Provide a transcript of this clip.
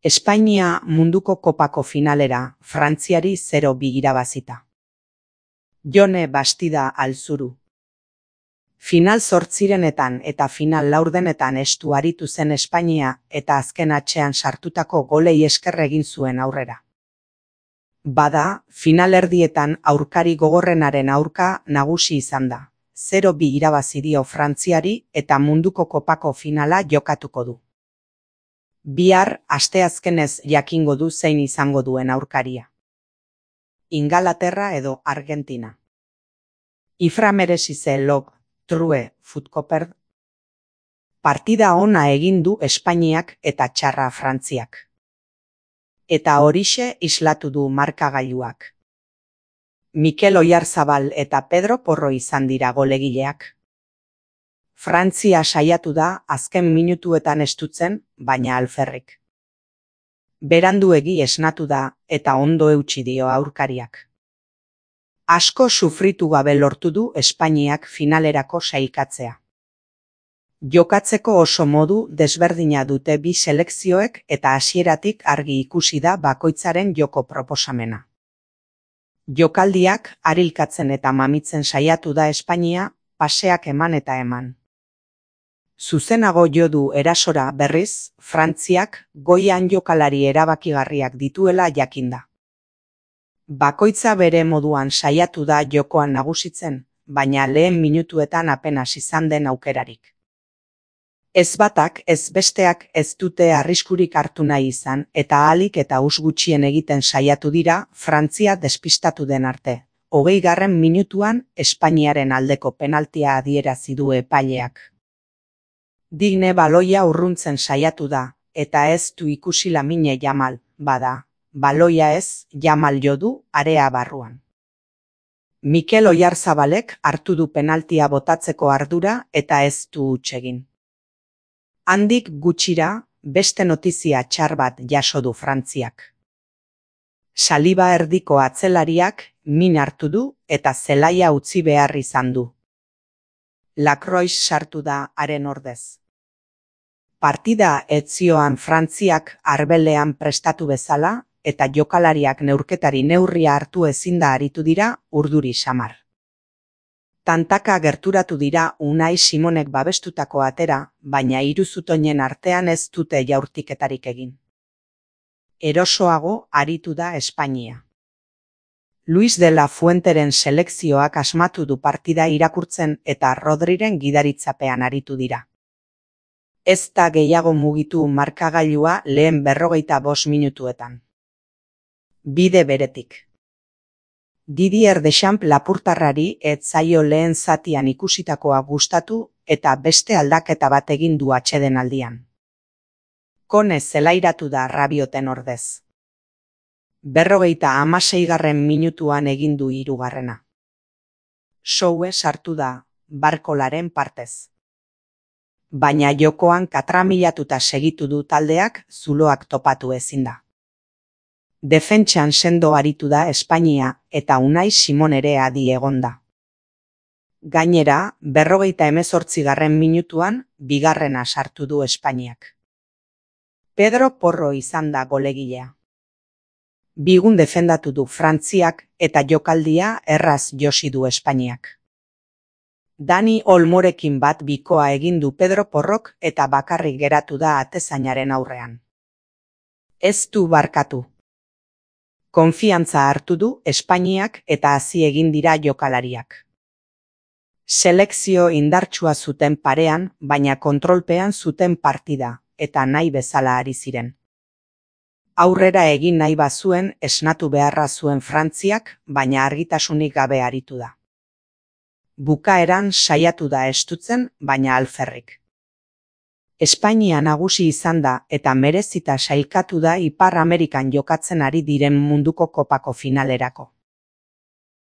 Espainia munduko kopako finalera, Frantziari 0-2 irabazita. Jone Bastida Alzuru. Final 8etan eta final 4etan estu aritu zen Espainia eta azken atxean sartutako golei esker egin zuen aurrera. Bada, final erdietan aurkari gogorrenaren aurka nagusi izan da. 0-2 irabazi dio Frantziari eta munduko kopako finala jokatuko du. Bihar asteazkenez jakingo du zein izango duen aurkaria. Ingalaterra edo Argentina. Ifra merezi log, true, futkoperd. Partida ona egin du Espainiak eta txarra Frantziak. Eta horixe islatu du markagailuak. Mikel Oyarzabal eta Pedro Porro izan dira golegileak. Frantzia saiatu da azken minutuetan estutzen, baina alferrik. Beranduegi esnatu da eta ondo eutsi dio aurkariak. Asko sufritu gabe lortu du Espainiak finalerako sailkatzea. Jokatzeko oso modu desberdina dute bi selekzioek eta hasieratik argi ikusi da bakoitzaren joko proposamena. Jokaldiak arilkatzen eta mamitzen saiatu da Espainia, paseak eman eta eman. Zuzenago jo du erasora berriz, Frantziak goian jokalari erabakigarriak dituela jakinda. Bakoitza bere moduan saiatu da jokoan nagusitzen, baina lehen minutuetan apenas izan den aukerarik. Ez batak ez besteak ez dute arriskurik hartu nahi izan eta ahalik eta us gutxien egiten saiatu dira Frantzia despistatu den arte. 20. minutuan Espainiaren aldeko penaltia adierazi du epaileak. Digne baloia urruntzen saiatu da, eta ez du ikusi Lamine Yamal, bada, baloia ez, Yamal jo du area barruan. Mikel Oyarzabalek hartu du penaltia botatzeko ardura eta ez du huts egin. Handik gutxira, beste notizia txar bat jaso du Frantziak. Saliba erdiko atzelariak min hartu du eta zelaia utzi behar izan du. Lacroix sartu da haren ordez. Partida ez zioan Frantziak arbelean prestatu bezala eta jokalariak neurketari neurria hartu ezin da aritu dira urduri samar. Tantaka gerturatu dira Unai Simonek babestutako atera, baina hiru zutoinen artean ez dute jaurtiketarik egin. Erosoago aritu da Espainia. Luis de la Fuenteren selekzioak asmatu du partida irakurtzen eta Rodriren gidaritzapean aritu dira. Ez da gehiago mugitu markagailua lehen 45 minutuetan. Bide beretik. Didier Deschamps lapurtarrari ez zaio lehen zatian ikusitakoa gustatu eta beste aldaketa bat egin du atsedenaldian. Kone zelairatu da Rabioten ordez. 56. minutuan egin du 3. Soue sartu da, Barkolaren partez. Baina jokoan katramilatuta segitu du taldeak zuloak topatu ezin da. Defentsan sendo aritu da Espainia eta Unai Simon ere adi egonda. Gainera, 58. minutuan, 2. sartu du Espainiak. Pedro Porro izan da golegilea. Bigun defendatu du Frantziak eta jokaldia erraz josi du Espainiak. Dani Olmorekin bat bikoa egin du Pedro Porrok eta bakarrik geratu da atezainaren aurrean. Ez du barkatu. Konfiantza hartu du Espainiak eta hasi egin dira jokalariak. Selekzio indartsua zuten parean, baina kontrolpean zuten partida, eta nahi bezala ari ziren. Aurrera egin nahi bazuen esnatu beharra zuen Frantziak, baina argitasunik gabe aritu da. Bukaeran saiatu da estutzen, baina alferrik. Espainia nagusi izan da eta merezita sailkatu da Ipar Amerikan jokatzen ari diren munduko kopako finalerako.